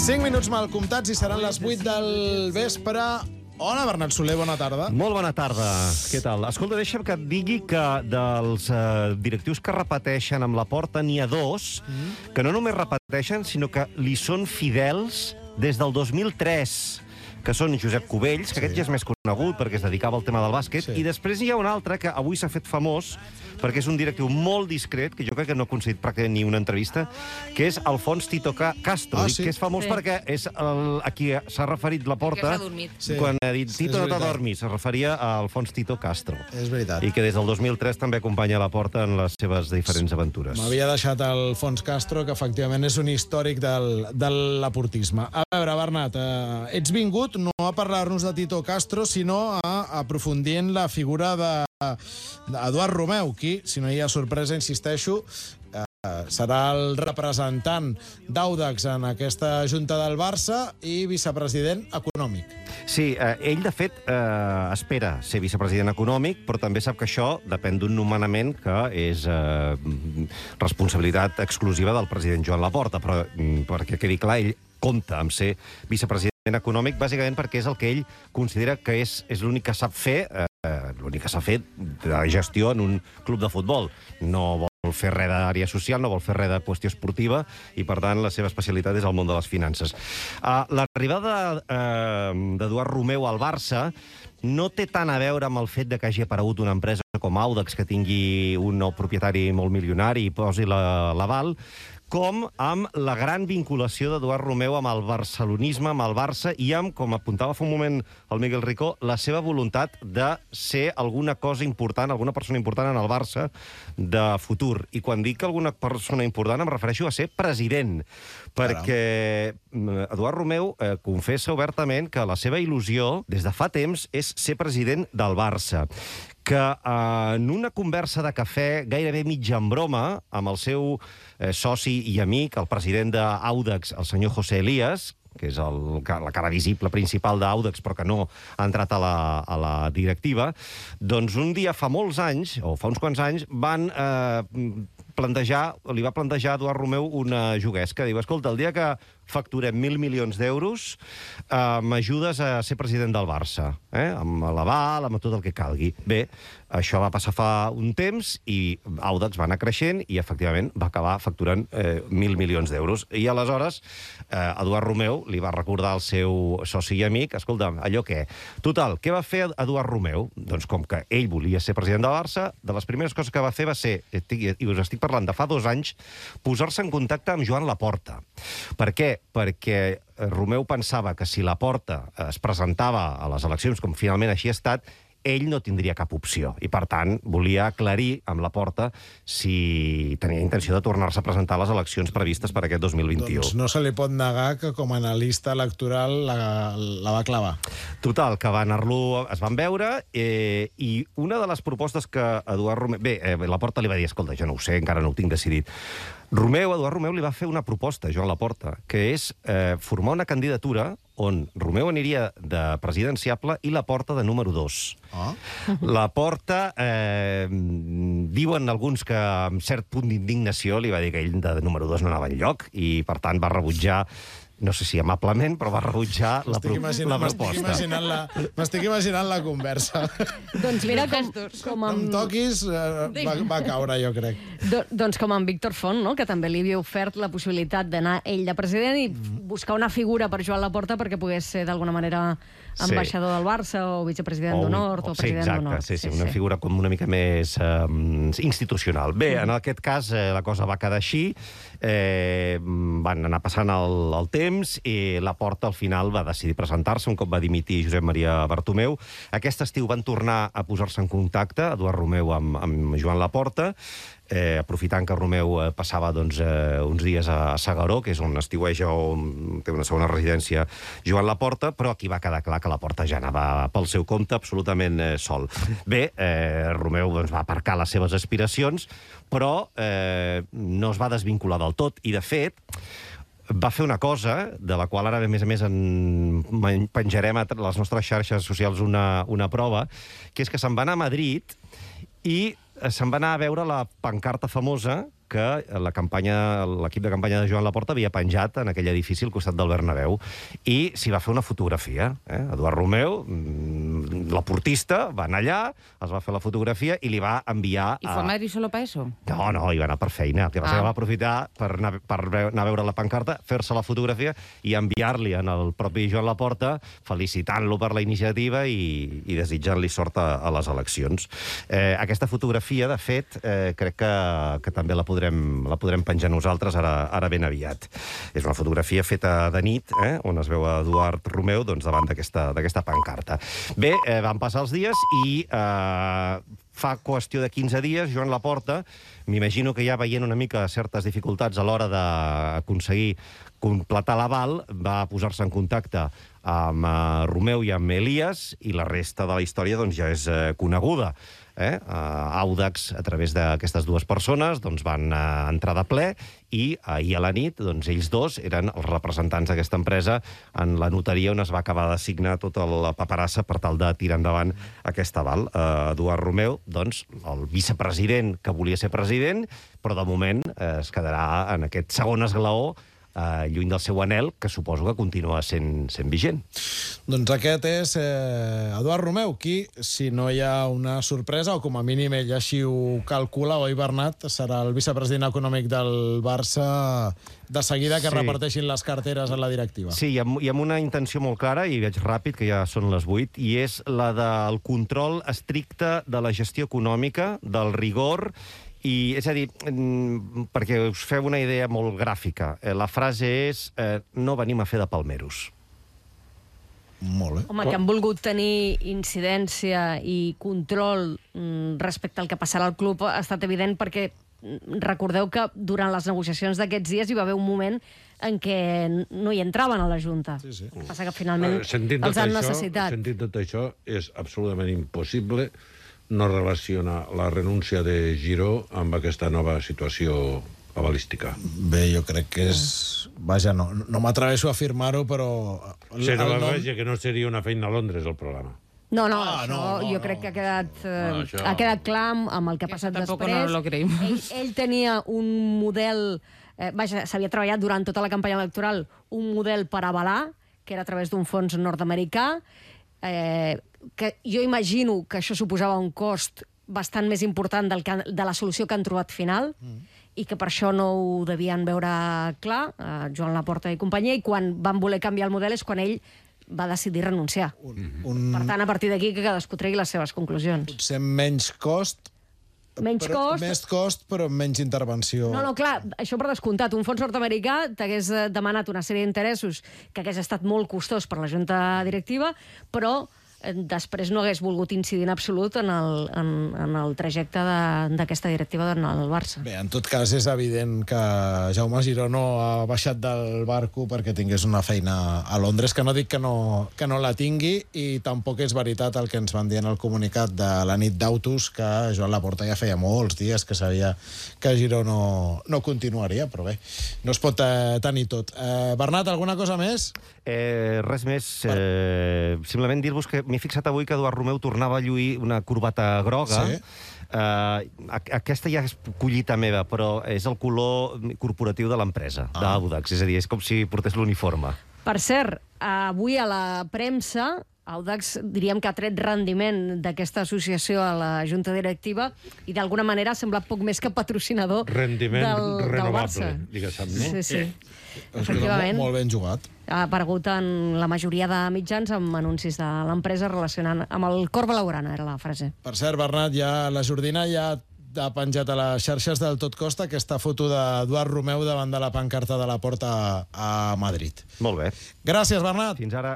5 minuts mal comptats i seran les 8 del vespre. Hola, Bernat Soler, bona tarda. Molt bona tarda. Què tal? Escolta, deixa'm que et digui que dels directius que repeteixen amb la Porta n'hi ha dos que no només repeteixen, sinó que li són fidels des del 2003, que són Josep Cubells, que aquest ja és més conegut perquè es dedicava al tema del bàsquet, i després hi ha un altre que avui s'ha fet famós perquè és un directiu molt discret, que jo crec que no ha aconseguit pràcticament ni una entrevista, que és Alfons Tito Castro. Dic que és famós perquè és a qui s'ha referit la Porta quan ha dit Tito no te dormis, es referia a Alfons Tito Castro. És veritat. I que des del 2003 també acompanya la Porta en les seves diferents aventures. M'havia deixat Alfons Castro, que efectivament és un històric de l'aportisme. A veure, Bernat, ets vingut no a parlar-nos de Tito Castro, sinó a aprofundir en la figura d'Eduard Romeu, qui, si no hi ha sorpresa, insisteixo, serà el representant d'Audax en aquesta Junta del Barça i vicepresident econòmic. Sí, ell, de fet, espera ser vicepresident econòmic, però també sap que això depèn d'un nomenament que és responsabilitat exclusiva del president Joan Laporta, però perquè quedi clar, ell compta amb ser vicepresident econòmic, bàsicament perquè és el que ell considera que és l'únic que sap fer, de gestió en un club de futbol. No vol fer res d'àrea social, no vol fer res de qüestió esportiva i, per tant, la seva especialitat és el món de les finances. L'arribada d'Eduard Romeu al Barça no té tant a veure amb el fet de que hagi aparegut una empresa com Audax que tingui un nou propietari molt milionari i posi l'aval, com amb la gran vinculació d'Eduard Romeu amb el barcelonisme, amb el Barça, i amb, com apuntava fa un moment el Miguel Ricó, la seva voluntat de ser alguna cosa important, alguna persona important en el Barça de futur. I quan dic alguna persona important em refereixo a ser president, perquè Eduard Romeu confessa obertament que la seva il·lusió des de fa temps és ser president del Barça, que en una conversa de cafè gairebé mitja en broma amb el seu soci i amic, el president d'Audax, el senyor José Elías, que és la cara visible principal d'Audax, però que no ha entrat a la directiva, doncs un dia fa molts anys, o fa uns quants anys, li va plantejar a Eduard Romeu una juguesca. Diu, escolta, el dia que facturem 1.000 milions d'euros, m'ajudes a ser president del Barça, amb l'aval, amb tot el que calgui. Bé, això va passar fa un temps i Audax va anar creixent i, efectivament, va acabar facturant 1.000 milions d'euros. I, aleshores, Eduard Romeu li va recordar al seu soci i amic, escolta, allò què? Total, què va fer Eduard Romeu? Doncs com que ell volia ser president del Barça, de les primeres coses que va fer va ser, i us estic parlant de fa 2 anys, posar-se en contacte amb Joan Laporta. Per què? Perquè Romeu pensava que si Laporta es presentava a les eleccions, com finalment així ha estat, ell no tindria cap opció. I, per tant, volia aclarir amb Laporta si tenia intenció de tornar-se a presentar a les eleccions previstes per aquest 2021. Doncs no se li pot negar que com a analista electoral la va clavar. Total, que es van veure i una de les propostes que Eduard Romeu... Bé, Laporta li va dir, escolta, jo no ho sé, encara no ho tinc decidit. Eduard Romeu li va fer una proposta a Joan Laporta, que és formar una candidatura on Romeu aniria de presidenciable i Laporta de número 2. Laporta, diuen alguns que amb cert punt d'indignació li va dir que ell de número 2 no anava enlloc i, per tant, va rebutjar, no sé si amablement, però va rebutjar la proposta. M'estic imaginant la conversa. Doncs mira, com amb... No em toquis, va caure, jo crec. Doncs com amb Víctor Font, que també li havia ofert la possibilitat d'anar ell de president i buscar una figura per Joan Laporta perquè pogués ser d'alguna manera ambaixador del Barça o vicepresident d'honor o president d'honor. Sí, una figura com una mica més institucional. Bé, en aquest cas la cosa va quedar així, van anar passant el temps i Laporta al final va decidir presentar-se un cop va dimitir Josep Maria Bartomeu. Aquest estiu van tornar a posar-se en contacte, Eduard Romeu amb Joan Laporta, aprofitant que Romeu passava uns dies a S'Agaró, que és on estiueja o té una segona residència Joan Laporta, però aquí va quedar clar que Laporta ja anava pel seu compte absolutament sol. Bé, Romeu va aparcar les seves aspiracions, però no es va desvincular del tot, i de fet va fer una cosa, de la qual ara, a més, penjarem a les nostres xarxes socials una prova, que és que se'n va anar a Madrid i se'n va anar a veure la pancarta famosa que l'equip de campanya de Joan Laporta havia penjat en aquell edifici al costat del Bernabéu. I s'hi va fer una fotografia. Eduard Romeu, la portista, va anar allà, es va fer la fotografia i li va enviar... ¿Y fue a Madrid solo para eso? No, hi va anar per feina. El que passa que va aprofitar per anar a veure la pancarta, fer-se la fotografia i enviar-li al propi Joan Laporta, felicitant-lo per la iniciativa i desitjant-li sort a les eleccions. Aquesta fotografia, de fet, crec que també la podrem penjar nosaltres ara ben aviat. És una fotografia feta de nit, on es veu a Eduard Romeu davant d'aquesta pancarta. Bé, van passar els dies i fa qüestió de 15 dies, Joan Laporta, m'imagino que ja veient una mica certes dificultats a l'hora d'aconseguir completar l'aval, va posar-se en contacte amb Romeu i amb Elias, i la resta de la història ja és coneguda. Audax, a través d'aquestes dues persones, van entrar de ple i ahir a la nit ells dos eren els representants d'aquesta empresa en la notaria on es va acabar de signar tota la paperassa per tal de tirar endavant aquest aval. Eduard Romeu, el vicepresident que volia ser president, però de moment es quedarà en aquest segon esglaó lluny del seu anhel, que suposo que continua sent vigent. Doncs aquest és Eduard Romeu, qui, si no hi ha una sorpresa, o com a mínim ell així ho calcula, oi, Bernat, serà el vicepresident econòmic del Barça de seguida que reparteixin les carteres a la directiva. Sí, i amb una intenció molt clara, i veig ràpid, que ja són les 8, i és la del control estricte de la gestió econòmica, del rigor. És a dir, perquè us feu una idea molt gràfica, la frase és no venim a fer de palmeros. Molt bé. Home, que han volgut tenir incidència i control respecte al que passarà al club ha estat evident, perquè recordeu que durant les negociacions d'aquests dies hi va haver un moment en què no hi entraven a la Junta. Sí, sí. El que passa que finalment els han necessitat. Sentint tot això, és absolutament impossible no relaciona la renúncia de Giró amb aquesta nova situació avalística. Bé, jo crec que és... Vaja, no m'atreveixo a afirmar-ho, però... Serà la vaja que no seria una feina a Londres, el programa. No, jo crec que ha quedat clar amb el que ha passat després. No lo creímos. Ell tenia un model... Vaja, s'havia treballat durant tota la campanya electoral un model per avalar, que era a través d'un fons nord-americà, que jo imagino que això suposava un cost bastant més important de la solució que han trobat final, i que per això no ho devien veure clar, Joan Laporta i companyia, i quan van voler canviar el model és quan ell va decidir renunciar. Per tant, a partir d'aquí que cadascú tregui les seves conclusions. Potser menys cost, Menys cost... Més cost, però menys intervenció. No, clar, això per descomptat. Un fons nord-americà t'hagués demanat una sèrie d'interessos que hagués estat molt costós per la junta directiva, però després no hagués volgut incidir en absolut en el trajecte d'aquesta directiva del Barça. Bé, en tot cas és evident que Jaume Giró no ha baixat del barco perquè tingués una feina a Londres, que no dic que no la tingui, i tampoc és veritat el que ens van dir en el comunicat de la nit d'Autos, que Joan Laporta ja feia molts dies que sabia que Giró no continuaria, però bé, no es pot tenir tot. Bernat, alguna cosa més? Res més. Simplement dir-vos que m'he fixat avui que Eduard Romeu tornava a lluir una corbata groga. Sí. Aquesta ja és collita meva, però és el color corporatiu de l'empresa, d'Audax. És a dir, és com si portés l'uniforme. Per cert, avui a la premsa, Audax diríem que ha tret rendiment d'aquesta associació a la junta directiva i d'alguna manera ha semblat poc més que patrocinador rendiment del Barça. Diguéssim, no? Sí. Efectivament. Molt ben jugat. Ha aparegut en la majoria de mitjans amb anuncis de l'empresa relacionant amb el cor blaugrana, era la frase. Per cert, Bernat, la Jordina ja ha penjat a les xarxes del Tot Costa aquesta foto d'Eduard Romeu davant de la pancarta de la Porta a Madrid. Molt bé. Gràcies, Bernat. Fins ara.